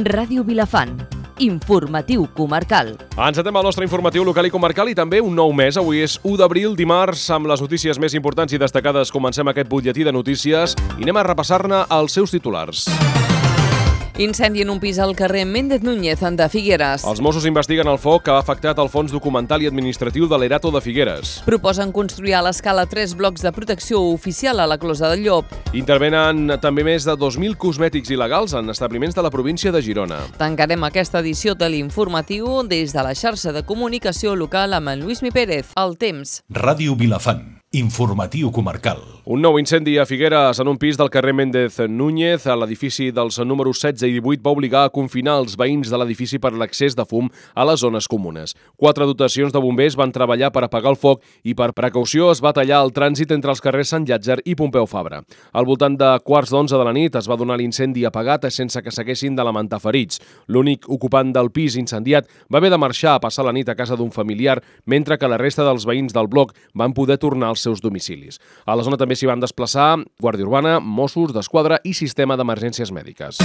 Ràdio Vilafant. Informatiu comarcal. Encetem el nostre informatiu local i comarcal i també un nou mes. Avui és 1 d'abril, dimarts, amb les notícies més importants i destacades. Comencem aquest butlletí de notícies i anem a repassar-ne els seus titulars. Incendi en un pis al carrer Méndez Núñez de Figueres. Els Mossos investiguen el foc que ha afectat el fons documental i administratiu de l'Erato de Figueres. Proposen construir a l'escala 3 blocs de protecció oficial a la Closa del Llop. Intervenen també més de 2.000 cosmètics il·legals en establiments de la província de Girona. Tancarem aquesta edició de l'informatiu des de la xarxa de comunicació local amb en Lluís Mi Pérez. El temps. Ràdio Vilafant. Informatiu comarcal. Un nou incendi a Figueres en un pis del carrer Méndez Núñez a l'edifici dels números 16 i 18 va obligar a confinar els veïns de l'edifici per l'accés de fum a les zones comunes. 4 dotacions de bombers van treballar per apagar el foc i per precaució es va tallar el trànsit entre els carrers Sant Llàtzer i Pompeu Fabra. Al voltant de 11:15 de la nit es va donar l'incendi apagat sense que s'haguessin de lamentar ferits. L'únic ocupant del pis incendiat va haver de marxar a passar la nit a casa d'un familiar, mentre que la resta dels veïns del bloc van poder tornar als seus domicilis. A la zona també s'hi van desplaçar Guàrdia Urbana, Mossos d'Esquadra i Sistema d'Emergències Mèdiques.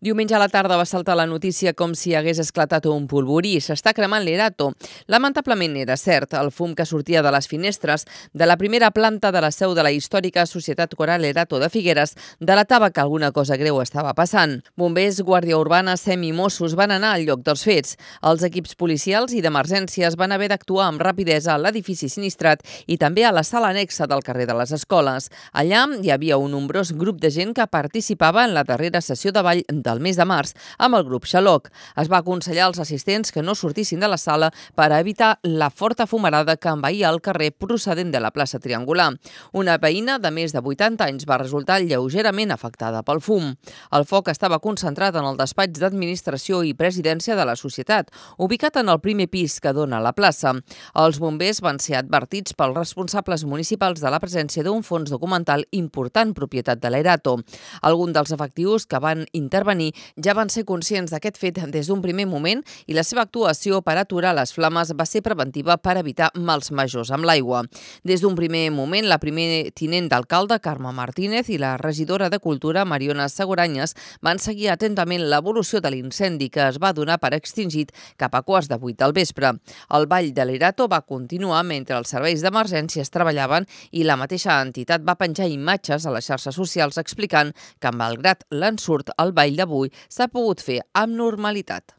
Diumenge a la tarda va saltar la notícia com si hagués esclatat un polvorí. S'està cremant l'Erato. Lamentablement era cert. El fum que sortia de les finestres de la primera planta de la seu de la històrica Societat Coral Erato de Figueres delatava que alguna cosa greu estava passant. Bombers, Guàrdia Urbana, SEM i Mossos van anar al lloc dels fets. Els equips policials i d'emergències van haver d'actuar amb rapidesa a l'edifici sinistrat i també a la sala anexa del carrer de les Escoles. Allà hi havia un nombrós grup de gent que participava en la darrera sessió de ball del mes de març amb el grup Xaloc. Es va aconsellar als assistents que no sortissin de la sala per evitar la forta fumarada que envaïa el carrer procedent de la plaça Triangular. Una veïna de més de 80 anys va resultar lleugerament afectada pel fum. El foc estava concentrat en el despatx d'administració i presidència de la societat, ubicat en el primer pis que dona a la plaça. Els bombers van ser advertits pels responsables municipals de la presència d'un fons documental important propietat de l'Erato. Alguns dels efectius que van intervenir ja van ser conscients d'aquest fet des d'un primer moment i la seva actuació per aturar les flames va ser preventiva per evitar mals majors amb l'aigua. Des d'un primer moment, la primer tinent d'alcalde, Carme Martínez, i la regidora de Cultura, Mariona Seguranyes, van seguir atentament l'evolució de l'incendi que es va donar per extingit cap a 7:15 del vespre. El ball de l'Erato va continuar mentre els serveis d'emergències treballaven i la mateixa entitat va penjar imatges a les xarxes socials explicant que, malgrat l'ensurt, el ball d'avui s'ha pogut fer amb normalitat.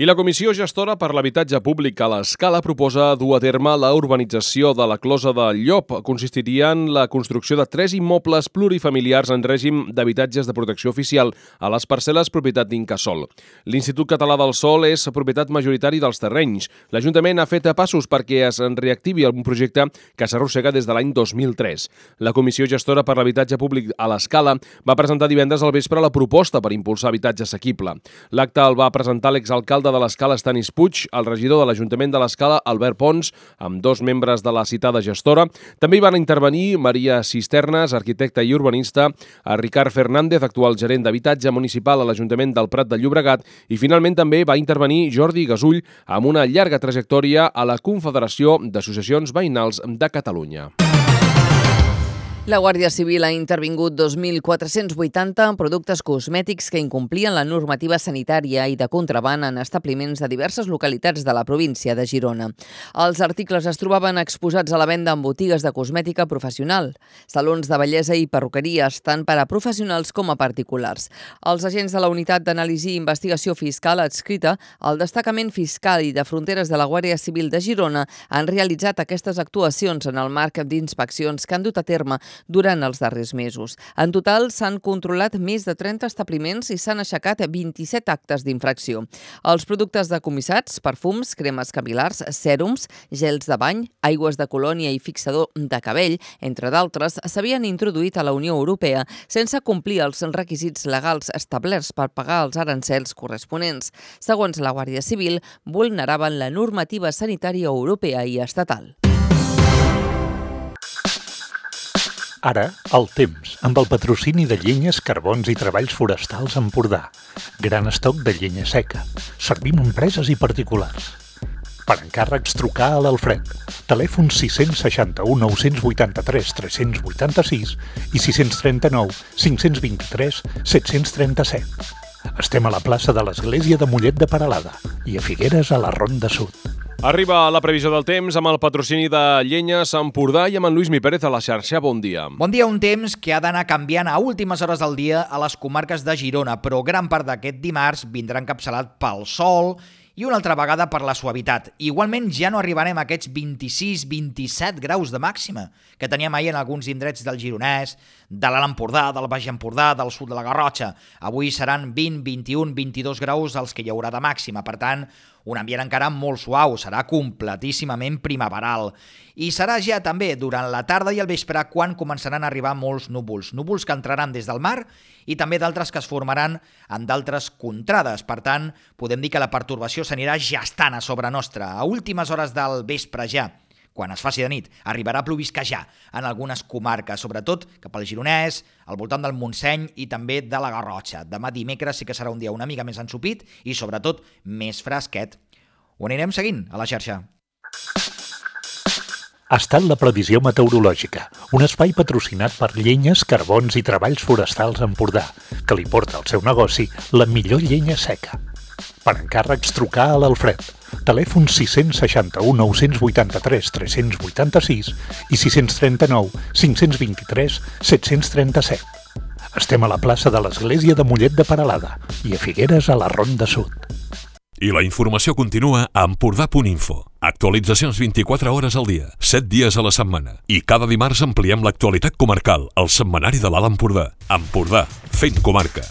I la Comissió Gestora per l'Habitatge Públic a l'Escala proposa dur a terme la urbanització de la Closa del Llop. Consistiria en la construcció de 3 immobles plurifamiliars en règim d'habitatges de protecció oficial a les parcel·les propietat d'Incasòl. L'Institut Català del Sòl és propietat majoritari dels terrenys. L'Ajuntament ha fet passos perquè es reactivi un projecte que s'arrossega des de l'any 2003. La Comissió Gestora per l'Habitatge Públic a l'Escala va presentar divendres al vespre la proposta per impulsar habitatge assequible. L'acte el va presentar l'exalcalde de l'Escala, Estanis Puig, el regidor de l'Ajuntament de l'Escala, Albert Pons, amb 2 membres de la citada gestora. També hi van intervenir Maria Cisternes, arquitecta i urbanista, a Ricard Fernández, actual gerent d'habitatge municipal a l'Ajuntament del Prat de Llobregat, i finalment també va intervenir Jordi Gasull, amb una llarga trajectòria a la Confederació d'Associacions Veïnals de Catalunya. La Guàrdia Civil ha intervingut 2.480 productes cosmètics que incomplien la normativa sanitària i de contraban en establiments de diverses localitats de la província de Girona. Els articles es trobaven exposats a la venda en botigues de cosmètica professional, salons de bellesa i perruqueries, tant per a professionals com a particulars. Els agents de la Unitat d'Anàlisi i Investigació Fiscal adscrita al Destacament Fiscal i de Fronteres de la Guàrdia Civil de Girona han realitzat aquestes actuacions en el marc d'inspeccions que han dut a terme durant els darrers mesos. En total, s'han controlat més de 30 establiments i s'han aixecat 27 actes d'infracció. Els productes decomissats, perfums, cremes capil·lars, sèrums, gels de bany, aigües de colònia i fixador de cabell, entre d'altres, s'havien introduït a la Unió Europea sense complir els requisits legals establerts per pagar els arancels corresponents. Segons la Guàrdia Civil, vulneraven la normativa sanitària europea i estatal. Ara, el temps, amb el patrocini de Llenyes, Carbons i Treballs Forestals Empordà. Gran estoc de llenya seca. Servim empreses i particulars. Per encàrrecs, trucar a l'Alfred. Telèfon 661 983 386 i 639 523 737. Estem a la plaça de l'Església de Mollet de Peralada i a Figueres, a la Ronda Sud. Arriba la previsió del temps amb el patrocini de Llenyes Empordà i amb en Lluís Mi Pérez a la xarxa. Bon dia. Bon dia, un temps que ha d'anar canviant a últimes hores del dia a les comarques de Girona, però gran part d'aquest dimarts vindrà encapçalat pel sol i una altra vegada per la suavitat. Igualment ja no arribarem a aquests 26-27 graus de màxima que teníem ahir en alguns indrets del Gironès, de l'Alt Empordà, del Baix Empordà, del sud de la Garrotxa. Avui seran 20, 21, 22 graus els que hi haurà de màxima. Per tant, un ambient encara molt suau, serà completíssimament primaveral. I serà ja també durant la tarda i el vespre quan començaran a arribar molts núvols. Núvols que entraran des del mar i també d'altres que es formaran en d'altres contrades. Per tant, podem dir que la pertorbació s'anirà gestant a sobre nostra. A últimes hores del vespre ja, quan es faci de nit, arribarà a plovisquejar en algunes comarques, sobretot cap al Gironès, al voltant del Montseny i també de la Garrotxa. Demà dimecres sí que serà un dia una mica més ensopit i sobretot més fresquet. Ho anirem seguint a la xarxa. Ha estat la previsió meteorològica, un espai patrocinat per Llenyes, Carbons i Treballs Forestals Empordà, que li porta al seu negoci la millor llenya seca. Per encàrrecs, trucar a l'Alfred. Telèfon 661 983 386 i 639 523 737. Estem a la plaça de l'Església de Mollet de Peralada i a Figueres, a la Ronda Sud. I la informació continua a empordà.info. Actualitzacions 24 hores al dia, 7 dies a la setmana. I cada dimarts ampliem l'actualitat comarcal al setmanari de l'Alt Empordà. Empordà, fent comarca.